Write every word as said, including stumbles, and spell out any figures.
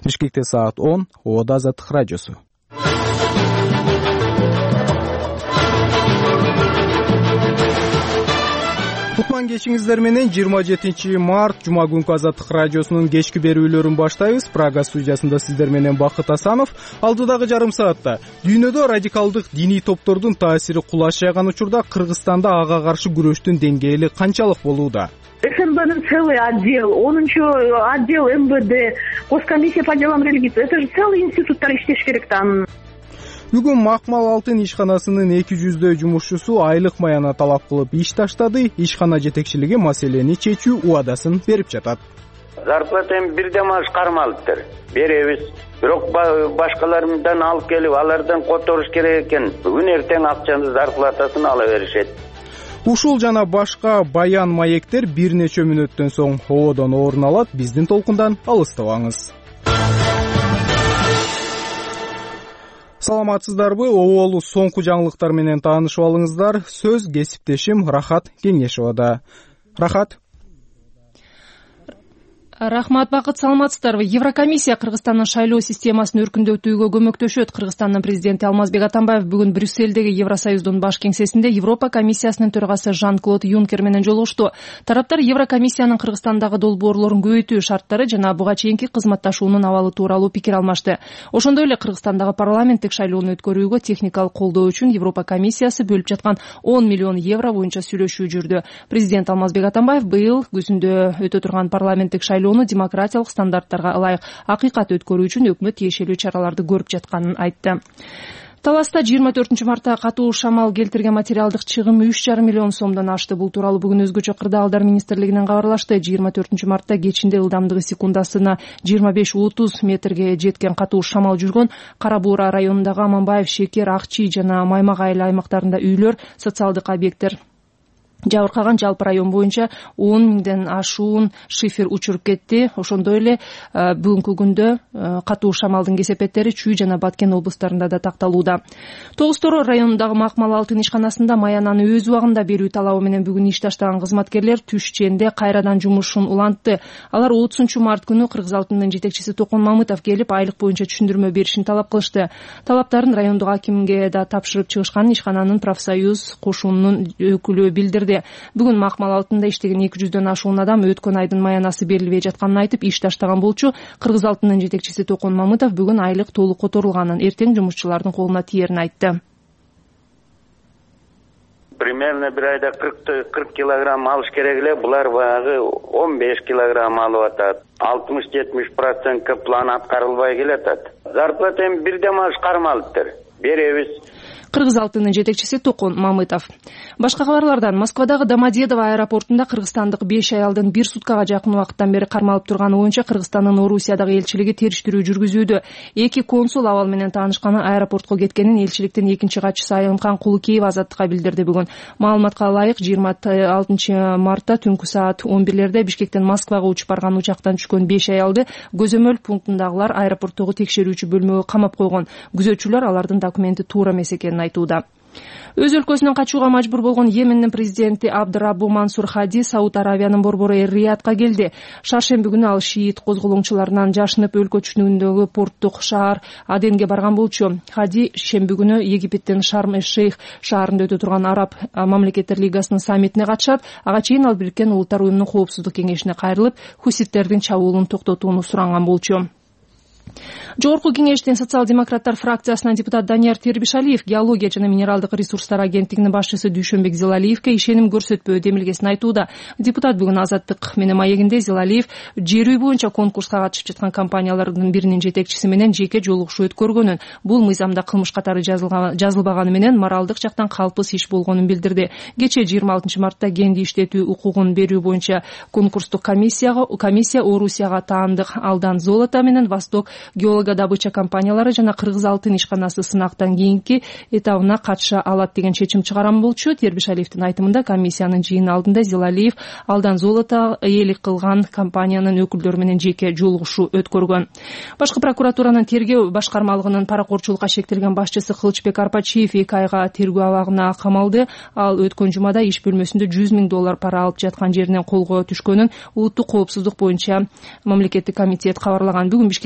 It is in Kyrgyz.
Бишкекте саат он. Ободо Азаттык радиосу. Кутман кечиңиздер менен жыйырма жетинчи март жума күнкү Азаттык радиосунун кечки берүүлөрүн баштайбыз. Прага студиясында сиздер менен Бакыт Асанов. Алдыдагы жарым саатта дүйнөдө радикалдык диний топтордун таасири кулаш жайган учурда Кыргызстанда ага каршы күрөштүн деңгээли канчалык болууда? СНБнын целый отдел, онунчу отдел МВД, Госкомиссия по делам религии. Это же целый институттар иштеш керек там. Бүгүн Макмал Алтын ишканасынын эки жүздөй жумушчусу айлык маяна талап кылып иш таштады. Ишкана жетекчилиги маселени чечүү убадасын берип жатат. Зарплатаны бирден маш кармалыптыр. Беребиз. Бирок башкалардан алып келип, алардан которуш керек экен. Бүгүн эртең акчаны зарплатасын ала беришет. Ушул жана башка баян маектер бир нече мүнөттөн соң ободон орун алат. Биздин толкундан алыстабаңыз. Саламатсыздарбы? Оболу соңку жаңылыктар менен таанышып алыңыздар. Сөз кесиптешим Рахат Кеңешовада. Рахат. Рахмат, Бакыт, саламатсыздарбы? Еврокомиссия Кыргызстандын шайлоо системасын өркүндөтүүгө көмөктөшөт. Кыргызстандын президенти Алмазбек Атамбаев бүгүн Брюссельдеги Евросоюздун баш кеңсесинде Европа комиссиясынын төрагасы Жан-Клод Юнкер менен жолугушту. Тараптар Еврокомиссиянын Кыргызстандагы долбоорлорун көбөйтүү шарттары жана буга чейинки кызматташуунун абалы тууралуу пикир алмашты. Ошондой эле Кыргызстандагы парламенттик шайлоону өткөрүүгө техникалык колдоо үчүн Европа комиссиясы бөлүп жаткан он миллион евро боюнча сүйлөшүү жүрдү. Президент Алмазбек Атамбаев быйыл күзүндө өтө турган парламенттик шайлоо демократиялык стандарттарга ылайык акыйкат өткөрүү үчүн өкмөт тиешелүү чараларды көрүп жатканын айтты. Таласта жыйырма төртүнчү мартта катуу шамал келтирген материалдык чыгым үч жарым миллион сомдон ашты. Бул тууралуу бүгүн өзгөчө кырдаалдар министрлигинен кабарлашты. жыйырма төртүнчү мартта кечинде ылдамдыгы секундасына жыйырма беш отуз метрге жеткен катуу шамал жүргөн Кара Буура районундагы Аманбаев, Шекер, Акчий жана Маймак айыл аймактарында үйлөр, социалдык объекттер жабыркаган. Жалпы район боюнча он миңден ашуун шифер учуруп кетти. Ошондой эле бүгүнкү күндө катуу шамалдын кесепеттери Чүй жана Баткен облустарында да такталууда. Тогуз Тороо районундагы Макмал Алтын ишканасында маянаны өз убагында берүү талабы менен бүгүн иш таштаган кызматкерлер түш ченде кайрадан жумушун улантты. Алар отузунчу март күнү Кыргыз Алтынынын жетекчиси Токон Мамытов келип, айлык боюнча түшүндүрмө беришин талап кылышты. Талаптарын райондук акимге да тапшырып чыгышканын ишкананын профсоюз кошунунун өкүлү билдирди. Бүгүн Макмал Алтында иштеген эки жүздөн ашуун адам өткөн айдын маянасы берилбей жатканын айтып, иш таштаган болчу Кыргыз Алтынынын жетекчиси Токон Мамытов бүгүн айлык толук которулганын, эртең жумушчулардын колуна тиерин айтты. Примерно бир айда кырк килограмм алыш керек эле, булар баягы он беш килограмм алып атат. алтымыш жетимиш процентке план аткарылбай келатат. Зарплатаны бирден маш кармалыптыр. Беребиз. Кыргыз Алтынынын жетекчиси Токон Мамытов. Башка кабарлардан Москвадагы Домодедово аэропортунда кыргызстандык беш аялдын бир суткага жакын убакыттан бери кармалып турганы боюнча Кыргызстандын Орусиядагы элчилиги териштирүү жүргүзүүдө. Эки консул абал менен таанышканы аэропортко кеткенин элчиликтин экинчи катчысы Айымкан Кулукеева Азаттыкка билдирди бүгүн. Маалыматка ылайык жыйырма алтынчы мартта түнкү саат он бирлерде Бишкектен Москвага учуп барган учактан түшкөн беш аялды көзөмөл пунктундагылар аэропорттогу текшерүүчү бөлмөгө камап койгон. Күзөтчүлөр алардын документи туура эмес экенин айтууда. Өз өлкөсүнөн качууга мажбур болгон Йемендин президенти Абдыраббу Мансур Хади Сауд Аравиянын борбору Эр-Риядка келди. Шаршемби күнү ал шиит козголоңчуларынан жашынып өлкө түшүнүгүндөгү порттук шаар Аденге барган болчу. Хади шемби күнү Египеттин Шарм-эш-Шейх шаарында өтө турган Араб мамлекеттер лигасынын саммитине катышат. Ага чейин ал Бириккен Улуттар уюмунун коопсуздук кеңешине кайрылып, хуситтердин чабуулун токтотууну суранган болчу. Жогорку кеңештин социал-демократтар фракциясынан депутат Данияр Тербишалиев геология жана минералдык ресурстар агенттигинин башчысы Дүйшөнбек Зилалиевке ишеним көрсөтпөө демилгесин айтууда. Депутат бүгүн Азаттык менен маегинде Зилалиев жер үй боюнча конкурска катышып жаткан компаниялардын биринин жетекчиси менен жеке жолугушуу өткөргөнүн, бул мыйзамда кылмыш катары жазылбаганы менен моралдык жактан калпыс иш болгонун билдирди. Кечээ жыйырма алтынчы мартта кенди иштетүү укугун берүү боюнча конкурстук комиссияга комиссия Орусияга таандык Алдан Золото менен Восток геологодобыча компаниялары жана Кыргыз Алтын ишканасы сынактан кийинки этабына катыша алат деген чечим чыгарган болчу. Тербишалиевдин айтымында комиссиянын жыйыны алдында Зилалиев Алдан Золото ээлик кылган компаниянын өкүлдөрү менен жеке жолугушуу өткөргөн. Башкы прокуратуранын тергөө башкармалыгынын паракорчулукка шектелген башчысы Кылычбек Арпачиев эки айга тергөө абагына камалды. Ал өткөн жумада иш бөлмөсүндө жүз миң доллар пара алып жаткан жеринен колго түшкөнүн улуттук коопсуздук боюнча мамлекеттик комитет кабарлаган. Бүгүн Бишкек